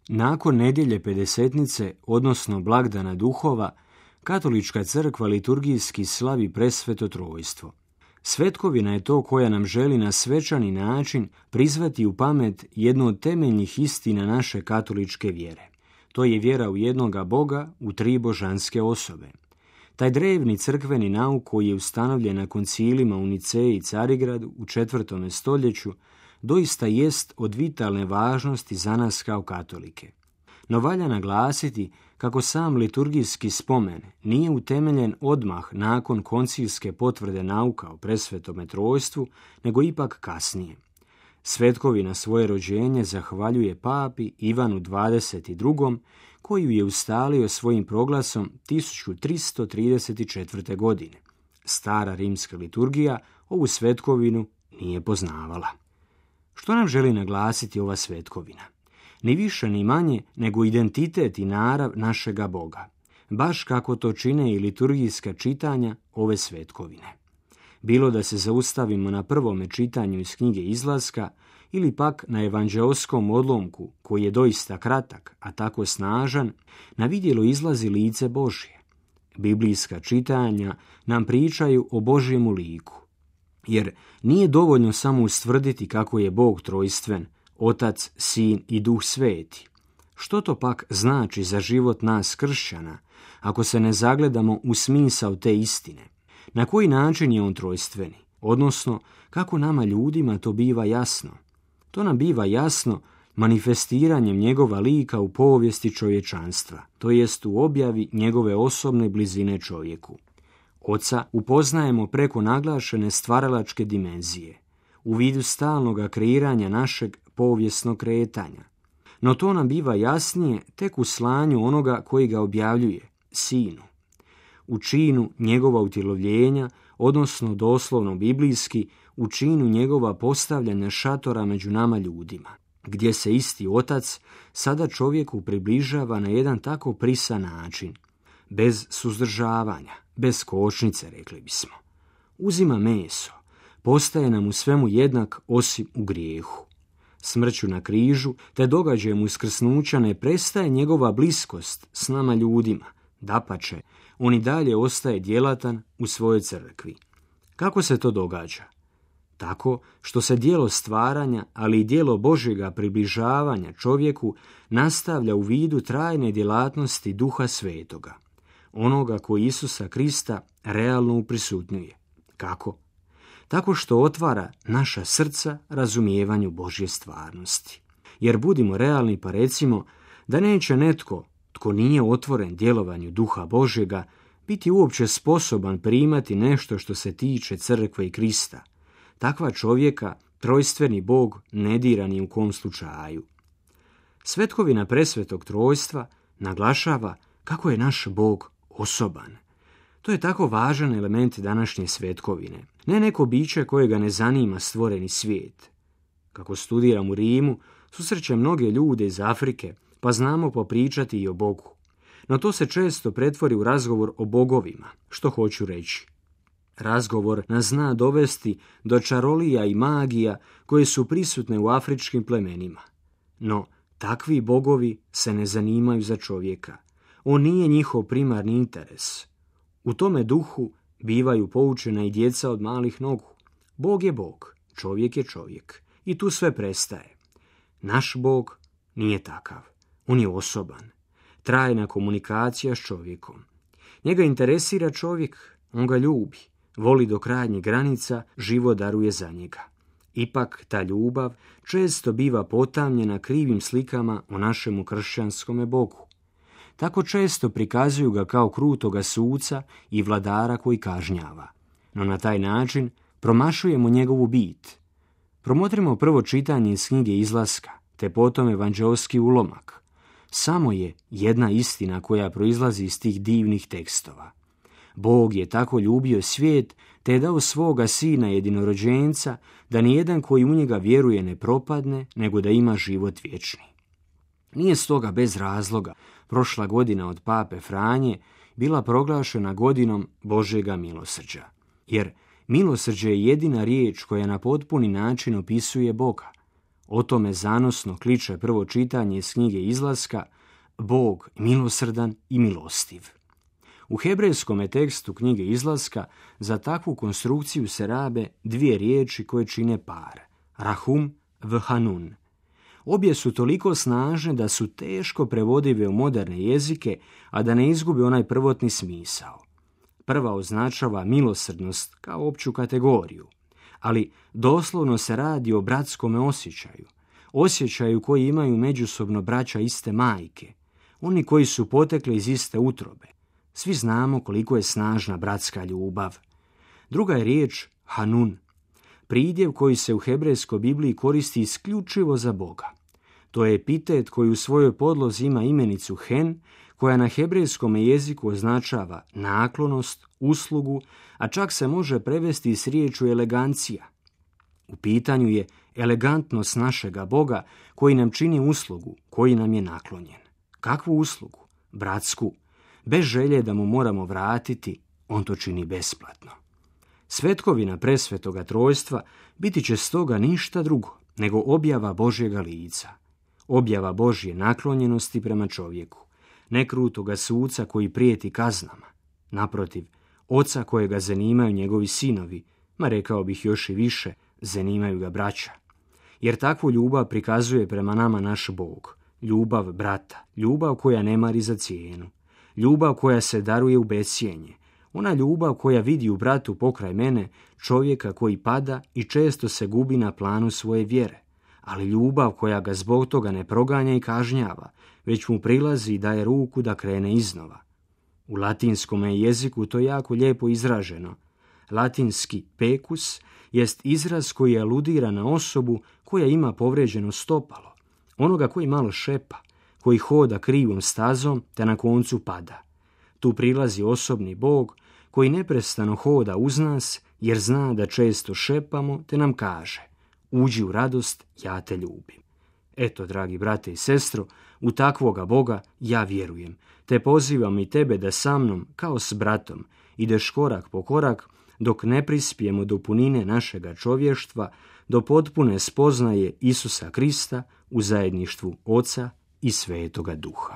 Nakon nedjelje Pedesetnice, odnosno blagdana duhova, Katolička crkva liturgijski slavi presveto trojstvo. Svetkovina je to koja nam želi na svečani način prizvati u pamet jednu od temeljnih istina naše katoličke vjere. To je vjera u jednoga Boga u tri božanske osobe. Taj drevni crkveni nauk koji je ustanovljen na koncilima u Niceji i Carigradu u 4. stoljeću doista jest od vitalne važnosti za nas kao katolike. No valja naglasiti kako sam liturgijski spomen nije utemeljen odmah nakon koncilske potvrde nauka o presvetome trojstvu, nego ipak kasnije. Svetkovina svoje rođenje zahvaljuje papi Ivanu 22. koju je ustalio svojim proglasom 1334. godine. Stara rimska liturgija ovu svetkovinu nije poznavala. Što nam želi naglasiti ova svetkovina? Ni više ni manje nego identitet i narav našega Boga, baš kako to čine i liturgijska čitanja ove svetkovine. Bilo da se zaustavimo na prvome čitanju iz knjige Izlaska ili pak na evanđeoskom odlomku koji je doista kratak, a tako snažan, na vidjelo izlazi lice Božje. Biblijska čitanja nam pričaju o Božjemu liku, jer nije dovoljno samo ustvrditi kako je Bog trojstven, Otac, Sin i Duh Sveti. Što to pak znači za život nas kršćana, ako se ne zagledamo u smisao te istine? Na koji način je on trojstveni? Odnosno, kako nama ljudima to biva jasno? To nam biva jasno manifestiranjem njegova lika u povijesti čovječanstva, to jest u objavi njegove osobne blizine čovjeku. Oca upoznajemo preko naglašene stvaralačke dimenzije, u vidu stalnoga kreiranja našeg povijesnog kretanja. No to nam biva jasnije tek u slanju onoga koji ga objavljuje, Sinu. U činu njegova utjelovljenja, odnosno doslovno biblijski, u činu njegova postavljanja šatora među nama ljudima, gdje se isti Otac sada čovjeku približava na jedan tako prisan način, bez suzdržavanja, bez kočnice, rekli bismo. Uzima meso, postaje nam u svemu jednak osim u grijehu. Smrću na križu te događajem uskrsnuća ne prestaje njegova bliskost s nama ljudima, dapače, on i dalje ostaje djelatan u svojoj crkvi. Kako se to događa? Tako što se djelo stvaranja, ali i djelo Božjega približavanja čovjeku nastavlja u vidu trajne djelatnosti Duha Svetoga, onoga koji Isusa Krista realno uprisutnjuje. Kako? Tako što otvara naša srca razumijevanju Božje stvarnosti. Jer budimo realni pa recimo da neće netko tko nije otvoren djelovanju Duha Božjega biti uopće sposoban primati nešto što se tiče crkve i Krista. Takva čovjeka trojstveni Bog ne dira ni u kom slučaju. Svetkovina presvetog trojstva naglašava kako je naš Bog osoban. To je tako važan element današnje svetkovine. Ne neko biće kojega ne zanima stvoreni svijet. Kako studiram u Rimu, susrećem mnoge ljude iz Afrike, pa znamo popričati i o Bogu. No to se često pretvori u razgovor o bogovima. Što hoću reći? Razgovor nas zna dovesti do čarolija i magija koje su prisutne u afričkim plemenima. No, takvi bogovi se ne zanimaju za čovjeka. On nije njihov primarni interes. U tome duhu bivaju poučena i djeca od malih nogu. Bog je Bog, čovjek je čovjek. I tu sve prestaje. Naš Bog nije takav. On je osoban. Trajna komunikacija s čovjekom. Njega interesira čovjek, on ga ljubi. Voli do krajnjih granica, život daruje za njega. Ipak ta ljubav često biva potamnjena krivim slikama o našemu kršćanskome Bogu. Tako često prikazuju ga kao krutoga suca i vladara koji kažnjava. No na taj način promašujemo njegovu bit. Promotrimo prvo čitanje iz knjige Izlaska, te potom evanđeoski ulomak. Samo je jedna istina koja proizlazi iz tih divnih tekstova. Bog je tako ljubio svijet, te je dao svoga sina jedinorođenca, da nijedan koji u njega vjeruje ne propadne, nego da ima život vječni. Nije stoga bez razloga prošla godina od pape Franje bila proglašena godinom Božjega milosrđa. Jer milosrđe je jedina riječ koja na potpuni način opisuje Boga. O tome zanosno kliče prvo čitanje iz knjige Izlaska, Bog milosrdan i milostiv. U hebrejskom tekstu knjige Izlaska za takvu konstrukciju se rabe dvije riječi koje čine par, rahum v hanun. Obje su toliko snažne da su teško prevodive u moderne jezike, a da ne izgube onaj prvotni smisao. Prva označava milosrdnost kao opću kategoriju, ali doslovno se radi o bratskome osjećaju koji imaju međusobno braća iste majke, oni koji su potekli iz iste utrobe. Svi znamo koliko je snažna bratska ljubav. Druga je riječ hanun, pridjev koji se u hebrejskoj Bibliji koristi isključivo za Boga. To je epitet koji u svojoj podlozi ima imenicu hen, koja na hebrejskom jeziku označava naklonost, uslugu, a čak se može prevesti s riječju elegancija. U pitanju je elegantnost našega Boga koji nam čini uslugu, koji nam je naklonjen. Kakvu uslugu? Bratsku. Bez želje da mu moramo vratiti, on to čini besplatno. Svetkovina presvetoga trojstva biti će stoga ništa drugo nego objava Božjega lica. Objava Božje naklonjenosti prema čovjeku, ne krutoga suca koji prijeti kaznama. Naprotiv, oca kojega zanimaju njegovi sinovi, ma rekao bih još i više, zanimaju ga braća. Jer takvu ljubav prikazuje prema nama naš Bog, ljubav brata, ljubav koja ne mari za cijenu, ljubav koja se daruje u bescijenje, ona ljubav koja vidi u bratu pokraj mene čovjeka koji pada i često se gubi na planu svoje vjere, ali ljubav koja ga zbog toga ne proganja i kažnjava, već mu prilazi i daje ruku da krene iznova. U latinskom jeziku to je jako lijepo izraženo. Latinski pecus jest izraz koji aludira na osobu koja ima povrijeđeno stopalo, onoga koji malo šepa, koji hoda krivom stazom te na koncu pada. Tu prilazi osobni Bog koji neprestano hoda uz nas jer zna da često šepamo te nam kaže: uđi u radost, ja te ljubim. Eto, dragi brate i sestro, u takvoga Boga ja vjerujem, te pozivam i tebe da sa mnom, kao s bratom, ideš korak po korak, dok ne prispijemo do punine našega čovještva, do potpune spoznaje Isusa Krista u zajedništvu Oca i Svetoga Duha.